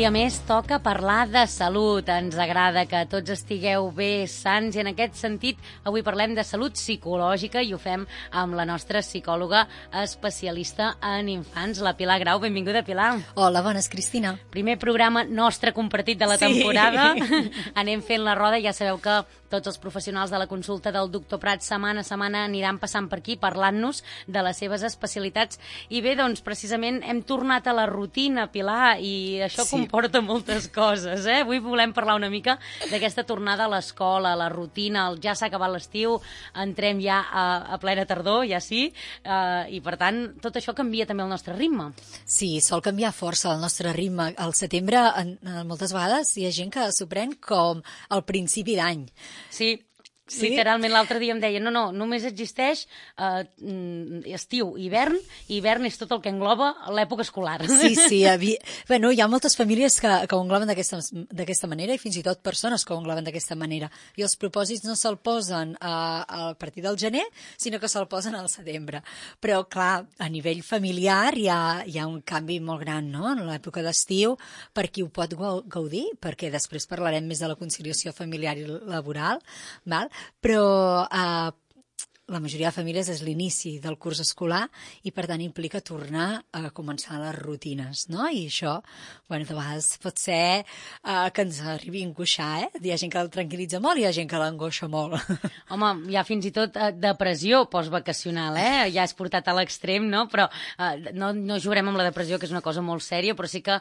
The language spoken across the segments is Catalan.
dia més toca parlar de salut. Ens agrada que tots estigueu bé, sants, i en aquest sentit avui parlem de salut psicològica i ho fem amb la nostra psicòloga especialista en infants, la Pilar Grau. Benvinguda, Pilar. Hola, bones, Cristina. Primer programa nostre compartit de la temporada. Anem fent la roda, ja sabeu que tots els professionals de la consulta del doctor Prat setmana a setmana aniran passant per aquí parlant-nos de les seves especialitats. I bé, doncs, precisament hem tornat a la rutina, Pilar, i això comporta moltes coses, eh? Avui volem parlar una mica d'aquesta tornada a l'escola, a la rutina, ja s'ha acabat l'estiu, entrem ja a plena tardor, ja sí, i per tant, tot això canvia també el nostre ritme. Sí, sol canviar força el nostre ritme. Al setembre, moltes vegades, hi ha gent que s'ho pren com el principi d'any. Sí, literalment l'altre dia em deia no, només existeix estiu, hivern, i hivern és tot el que engloba l'època escolar. Sí, bueno, hi ha moltes famílies que ho engloben d'aquesta manera i fins i tot persones que ho engloben d'aquesta manera. I els propòsits no se'l posen a partir del gener, sinó que se'l posen al setembre. Però, clar, a nivell familiar hi ha un canvi molt gran, no?, en l'època d'estiu, per qui ho pot gaudir, perquè després parlarem més de la conciliació familiar i laboral, val? Però la majoria de famílies és l'inici del curs escolar i, per tant, implica tornar a començar les rutines, no? I això, bueno, de vegades pot ser que ens arribi a angoixar, eh? Hi ha gent que el tranquil·litza molt i hi ha gent que l'angoixa molt. Hi ha fins i tot depressió postvacacional, eh? Ja és portat a l'extrem, no? Però no jugarem amb la depressió, que és una cosa molt sèria, però sí que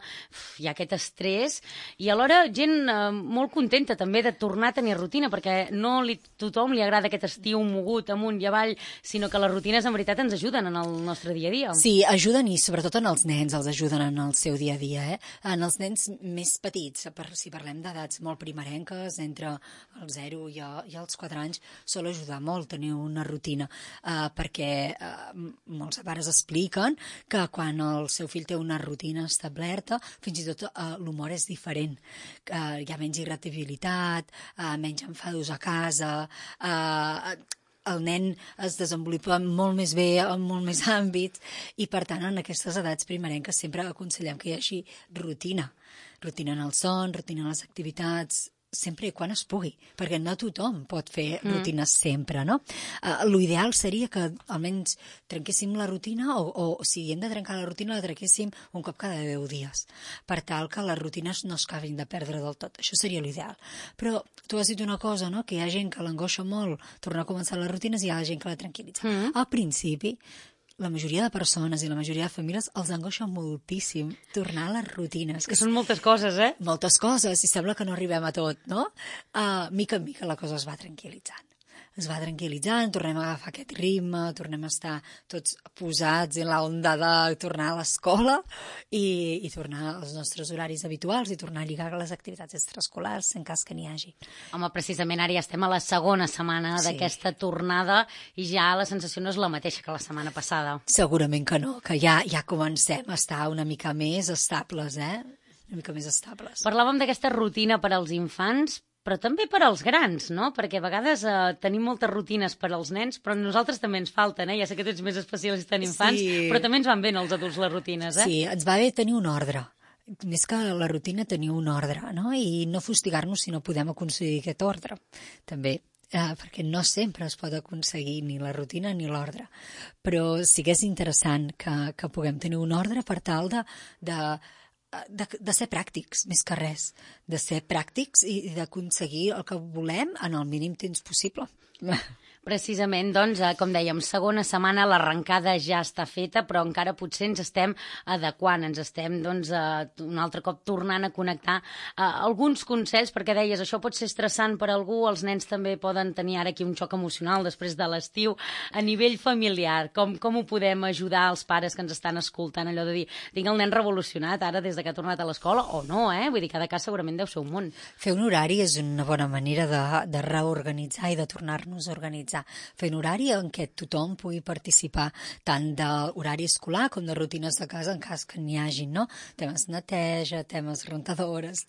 hi ha aquest estrès i alhora gent molt contenta també de tornar a tenir rutina, perquè no tothom li agrada aquest estiu mogut amunt i avall, sinó que les rutines en veritat ens ajuden en el nostre dia a dia. Sí, ajuden, i sobretot en els nens els ajuden en el seu dia a dia, eh? En els nens més petits, si parlem d'edats molt primerenques, entre els 0 i els 4 anys, sol ajudar molt tenir una rutina, perquè molts pares expliquen que quan el seu fill té una rutina establerta, fins i tot l'humor és diferent. Hi ha menys irritabilitat, menys enfados a casa, el nen es desenvolupa molt més bé en molt més àmbits i, per tant, en aquestes edats primerenques sempre aconsellem que hi hagi rutina. Rutina en el son, rutina en les activitats, sempre i quan es pugui, perquè no tothom pot fer rutines sempre, no? L'ideal seria que almenys trenquéssim la rutina o si hem de trencar la rutina, la trenquéssim un cop cada 10 dies, per tal que les rutines no es acabin de perdre del tot. Això seria l'ideal. Però tu has dit una cosa, no?, que hi ha gent que l'angoixa molt tornar a començar les rutines i hi ha gent que la tranquil·litza. Al principi, la majoria de persones i la majoria de famílies els angoixa moltíssim tornar a les rutines. Que són moltes coses, eh? Moltes coses, i sembla que no arribem a tot, no? Mica en mica la cosa es va tranquil·litzant. Tornem a agafar aquest ritme, tornem a estar tots posats en l'onda de tornar a l'escola i tornar als nostres horaris habituals i tornar a lligar les activitats extraescolars en cas que n'hi hagi. Home, precisament ara ja estem a la segona setmana d'aquesta tornada i ja la sensació no és la mateixa que la setmana passada. Segurament que no, que ja comencem a estar una mica més estables, una mica més estables. Parlàvem d'aquesta rutina per als infants, però també per als grans, no? Perquè a vegades tenim moltes rutines per als nens, però a nosaltres també ens falten, eh? Ja sé que tu ets més especialista en infants, però també ens van bé als adults les rutines, eh? Sí, ens va bé tenir un ordre. Més que la rutina, tenir un ordre, no? I no fustigar-nos si no podem aconseguir aquest ordre, també. Perquè no sempre es pot aconseguir ni la rutina ni l'ordre. Però sí que és interessant que puguem tenir un ordre per tal de ser pràctics, més que res, de ser pràctics i d'aconseguir el que volem en el mínim temps possible. Precisament, doncs, com dèiem, segona setmana, l'arrencada ja està feta, però encara potser ens estem adequant, ens estem, doncs, un altre cop tornant a connectar alguns consells, perquè deies, això pot ser estressant per algú, els nens també poden tenir ara aquí un xoc emocional després de l'estiu, a nivell familiar, com ho podem ajudar als pares que ens estan escoltant, allò de dir, tinc el nen revolucionat ara des que ha tornat a l'escola, o no, vull dir, cada cas segurament deu ser un món. Fer un horari és una bona manera de reorganitzar i de tornar-nos a organitzar. Fer un horari en què tothom pugui participar tant d'horari escolar com de rutines de casa en cas que n'hi hagin, no? Temes neteja, temes rentadores,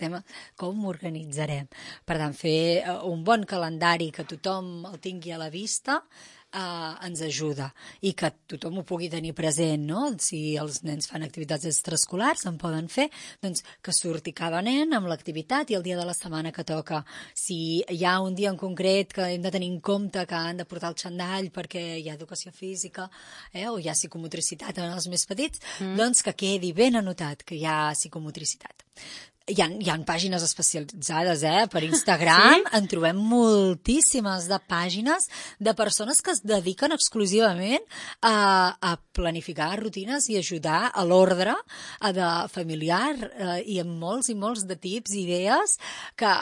com organitzarem. Per tant, fer un bon calendari que tothom el tingui a la vista ens ajuda i que tothom ho pugui tenir present, no? Si els nens fan activitats extraescolars, en poden fer, doncs que surti cada nen amb l'activitat i el dia de la setmana que toca. Si hi ha un dia en concret que hem de tenir en compte que han de portar el xandall perquè hi ha educació física o hi ha psicomotricitat en els més petits, doncs que quedi ben anotat que hi ha psicomotricitat. Hi ha pàgines especialitzades, per Instagram, sí? En trobem moltíssimes de pàgines de persones que es dediquen exclusivament a planificar rutines i ajudar a l'ordre familiar i amb molts i molts de tips i idees que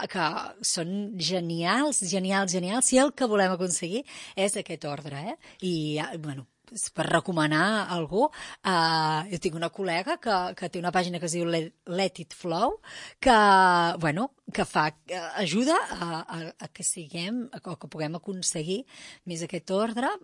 són genials, si el que volem aconseguir és aquest ordre, I, bueno, per recomanar a algú, jo tinc una col·lega que té una pàgina que es diu Let It Flow, que ajuda a que siguem, o que puguem aconseguir més aquest ordre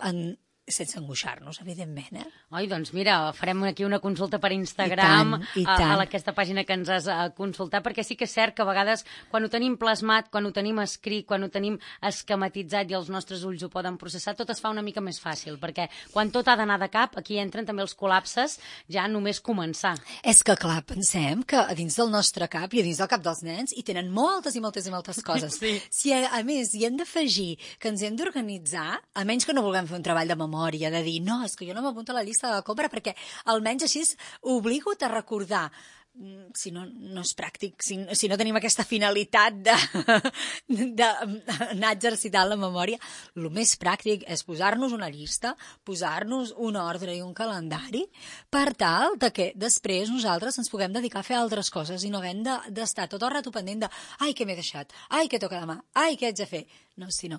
sense angoixar-nos, evidentment. Oi, doncs mira, farem aquí una consulta per Instagram I tant. A aquesta pàgina que ens has consultat, perquè sí que és cert que a vegades quan ho tenim plasmat, quan ho tenim escrit, quan ho tenim esquematitzat i els nostres ulls ho poden processar, tot es fa una mica més fàcil, perquè quan tot ha d'anar de cap, aquí entren també els col·lapses ja només començar. És que, clar, pensem que a dins del nostre cap i a dins del cap dels nens hi tenen moltes i moltes i moltes coses. Sí. Si a més hi hem d'afegir que ens hem d'organitzar, a menys que no vulguem fer un treball de memòria, de dir, no, és que jo no m'apunto a la llista de la compra perquè almenys així obligo a recordar. Si no és pràctic, si no tenim aquesta finalitat d'anar exercitant la memòria, el més pràctic és posar-nos una llista, posar-nos un ordre i un calendari per tal de que després nosaltres ens puguem dedicar a fer altres coses i no haguem d'estar tot el rato pendent de ai, què m'he deixat, ai, què toca demà, ai, què haig de fer. No, sinó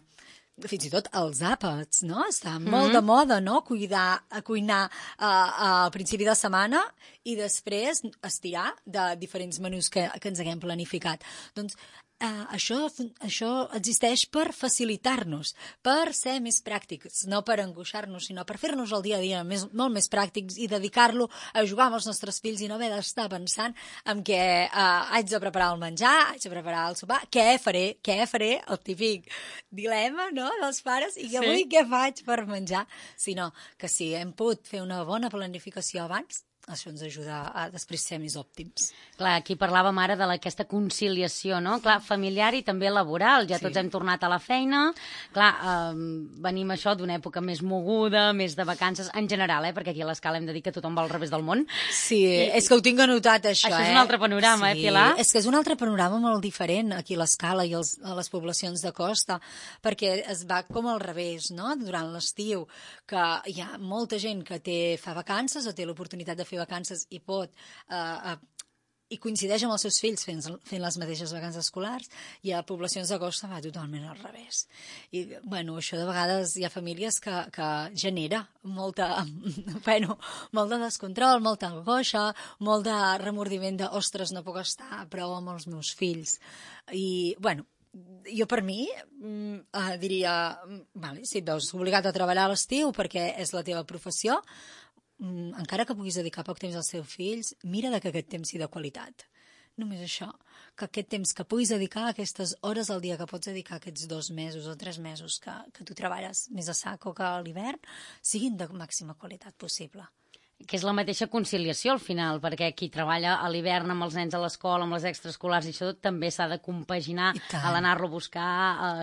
fins i tot els àpats, no? Està molt de moda, no? Cuinar al principi de setmana i després estirar de diferents menús que ens haguem planificat. Doncs això existeix per facilitar-nos, per ser més pràctics, no per angoixar-nos, sinó per fer-nos el dia a dia molt més pràctics i dedicar-lo a jugar amb els nostres fills i no haver d'estar pensant en què haig de preparar el menjar, haig de preparar el sopar, què faré, el típic dilema, no?, dels pares, i avui què faig per menjar? Sinó que si hem pogut fer una bona planificació abans, això ens ajuda a després ser més òptims. Clar, aquí parlàvem ara d'aquesta conciliació, no? Clar, familiar i també laboral. Ja tots hem tornat a la feina. Clar, venim això d'una època més moguda, més de vacances, en general, perquè aquí a l'Escala hem de dir que tothom va al revés del món. Sí, és que ho tinc anotat, això. Això és un altre panorama, Pilar? És que és un altre panorama molt diferent aquí a l'Escala i a les poblacions de costa, perquè es va com al revés, no?, durant l'estiu, que hi ha molta gent que fa vacances o té l'oportunitat de fer vacances i pot i coincideix amb els seus fills fent les mateixes vacances escolars, i a poblacions de costa va totalment al revés. I, bueno, això de vegades hi ha famílies que genera molt de descontrol, molta angoixa, molt de remordiment de, ostres, no puc estar prou amb els meus fills. I, bueno, jo per mi diria, vale, si et veus obligat a treballar a l'estiu perquè és la teva professió, encara que puguis dedicar poc temps als teus fills, mira que aquest temps sigui de qualitat. Només això, que aquest temps que puguis dedicar, aquestes hores al dia que pots dedicar aquests 2 mesos o 3 mesos que tu treballes més a sac o que a l'hivern, siguin de màxima qualitat possible. Que és la mateixa conciliació al final, perquè qui treballa a l'hivern amb els nens a l'escola, amb les extraescolars i això també s'ha de compaginar a l'anar-lo a buscar,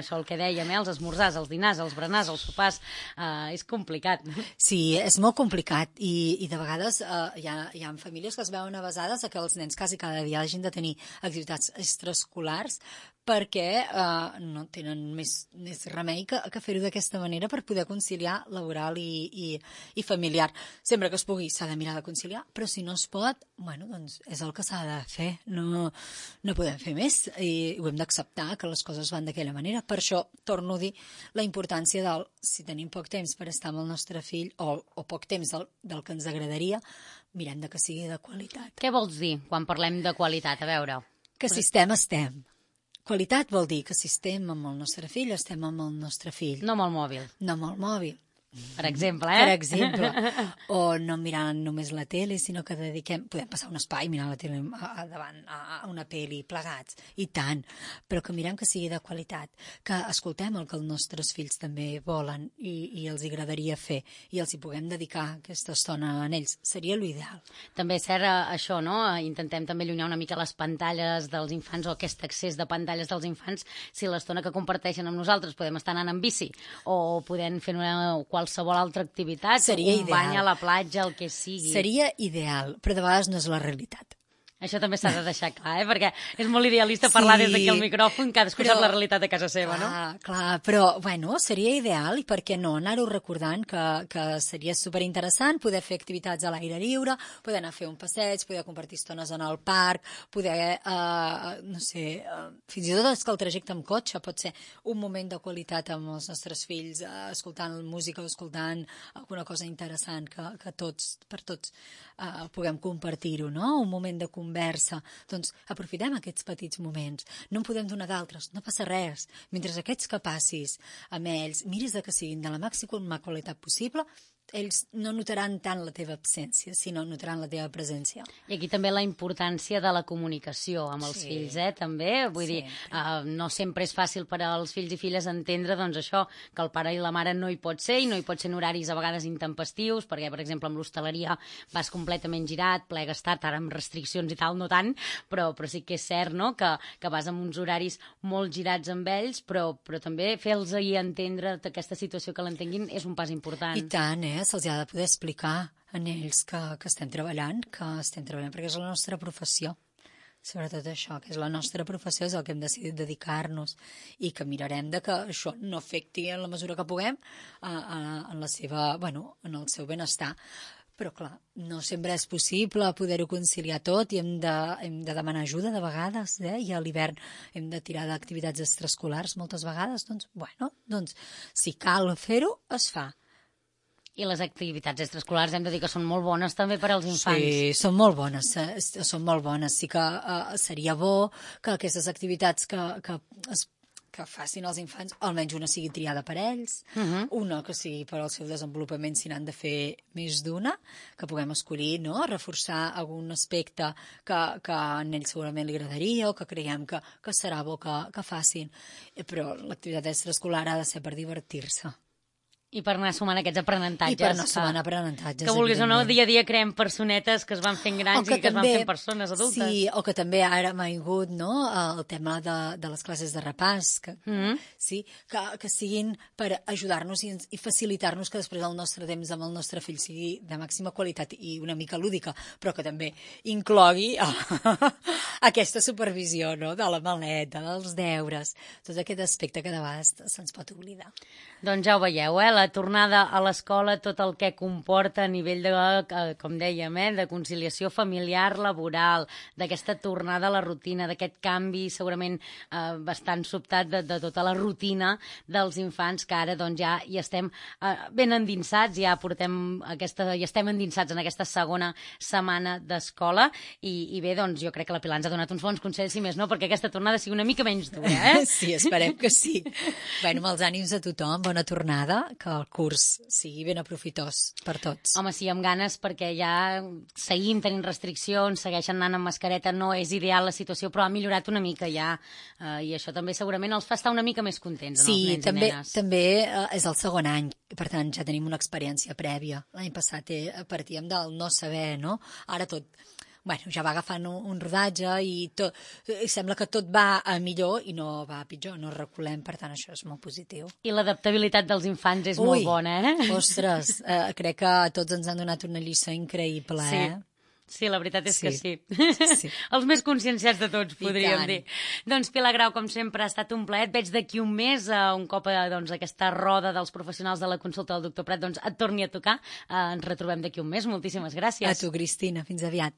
això el que dèiem, els esmorzars, els dinars, els berenars, els sopars, és complicat. Sí, és molt complicat i de vegades hi ha famílies que es veuen avesades a que els nens quasi cada dia hagin de tenir activitats extraescolars perquè no tenen més remei que fer-ho d'aquesta manera per poder conciliar laboral i familiar. Sempre que es pugui s'ha de mirar de conciliar, però si no es pot, bueno, doncs és el que s'ha de fer. No podem fer més i ho hem d'acceptar, que les coses van d'aquella manera. Per això torno a dir la importància si tenim poc temps per estar amb el nostre fill o poc temps del que ens agradaria, mirem que sigui de qualitat. Què vols dir quan parlem de qualitat? A veure. Que si estem. Qualitat vol dir que si estem amb el nostre fill, estem amb el nostre fill. No amb el mòbil. No amb el mòbil. Per exemple, Per exemple. O no mirant només la tele, sinó que podem passar un espai mirant la tele davant a una pel·li plegats, i tant, però que mirem que sigui de qualitat, que escoltem el que els nostres fills també volen i els agradaria fer, i els hi puguem dedicar aquesta estona a ells. Seria l'ideal. També és cert això, no? Intentem també allunyar una mica les pantalles dels infants o aquest accés de pantalles dels infants, si l'estona que comparteixen amb nosaltres podem estar anant en bici o podem fer qualsevol altra activitat, seria un bany a la platja, el que sigui. Seria ideal, però de vegades no és la realitat. Això també s'ha de deixar clar, perquè és molt idealista parlar des d'aquí al micròfon, cadascú sap la realitat de casa seva, no? Clar, però, seria ideal, i per què no, anar-ho recordant que seria superinteressant poder fer activitats a l'aire lliure, poder anar a fer un passeig, poder compartir estones en el parc, poder, no sé, fins i tot és que el trajecte amb cotxe pot ser un moment de qualitat amb els nostres fills, escoltant música o escoltant alguna cosa interessant que per tots puguem compartir-ho, no? Un moment de conversa. Doncs aprofitem aquests petits moments. No en podem donar d'altres, no passa res. Mentre aquests que passis amb ells, miris que siguin de la màxima qualitat possible, ells no notaran tant la teva absència, sinó notaran la teva presència. I aquí també la importància de la comunicació amb els fills, també. Vull dir, no sempre és fàcil per als fills i filles entendre, doncs, això, que el pare i la mare no hi pot ser, i no hi pot ser en horaris a vegades intempestius, perquè, per exemple, amb l'hostaleria vas completament girat, plegues tard, ara amb restriccions i tal, no tant, però sí que és cert, no?, que vas amb uns horaris molt girats amb ells, però també fer-los entendre aquesta situació, que l'entenguin, és un pas important. I tant, se'ls ha de poder explicar a ells que estem treballant, perquè és la nostra professió. Sobretot això, que és la nostra professió, és el que hem decidit dedicar-nos, i que mirarem que això no afecti en la mesura que puguem en el seu benestar. Però, clar, no sempre és possible poder-ho conciliar tot, i hem de demanar ajuda de vegades, i a l'hivern hem de tirar d'activitats extraescolars moltes vegades. Doncs, si cal fer-ho, es fa. I les activitats extraescolars hem de dir que són molt bones també per als infants. Sí, són molt bones. Sí que seria bo que aquestes activitats que facin els infants, almenys una sigui triada per ells, una que sigui per al seu desenvolupament, si n'han de fer més d'una, que puguem escollir, no?, reforçar algun aspecte que a ells segurament li agradaria, o que creiem que serà bo que facin. Però l'activitat extraescolar ha de ser per divertir-se. I per anar sumant aquests aprenentatges. I per anar sumant aprenentatges, que vulguis o no, dia a dia creem personetes que es van fent grans i que es van fent persones adultes. Sí, o que també ara m'ha vingut, no?, el tema de les classes de repàs, que siguin per ajudar-nos i facilitar-nos que després el nostre temps amb el nostre fill sigui de màxima qualitat i una mica lúdica, però que també inclogui aquesta supervisió, no?, de la maleta, dels deures, tot aquest aspecte que de vegades se'ns pot oblidar. Doncs ja ho veieu, la tornada a l'escola, tot el que comporta a nivell de, com dèiem, de conciliació familiar, laboral, d'aquesta tornada a la rutina, d'aquest canvi segurament bastant sobtat de tota la rutina dels infants, que ara doncs ja hi estem ben endinsats, ja estem endinsats en aquesta segona setmana d'escola, i bé, doncs jo crec que la Pilar ens ha donat uns bons consells, si més no, perquè aquesta tornada sigui una mica menys dura, Sí, esperem que sí. Amb els ànims de tothom, bona tornada, que el curs sigui ben aprofitós per tots. Home, sí, amb ganes, perquè ja seguim tenint restriccions, segueixen anant amb mascareta, no és ideal la situació, però ha millorat una mica ja, i això també segurament els fa estar una mica més contents, els nens i nenes. Sí, també és el segon any, per tant ja tenim una experiència prèvia. L'any passat partíem del no saber, no? Ara tot... ja va agafant un rodatge i sembla que tot va a millor i no va a pitjor, no reculem, per tant això és molt positiu. I l'adaptabilitat dels infants és molt bona, Ostres, crec que tots ens han donat una lliçó increïble, Sí, la veritat és que sí. Els més conscienciats de tots, podríem dir. Doncs Pilar Grau, com sempre, ha estat un plaer. Et veig d'aquí un mes, un cop aquesta roda dels professionals de la consulta del doctor Prat et torni a tocar. Ens retrobem d'aquí un mes. Moltíssimes gràcies. A tu, Cristina. Fins aviat.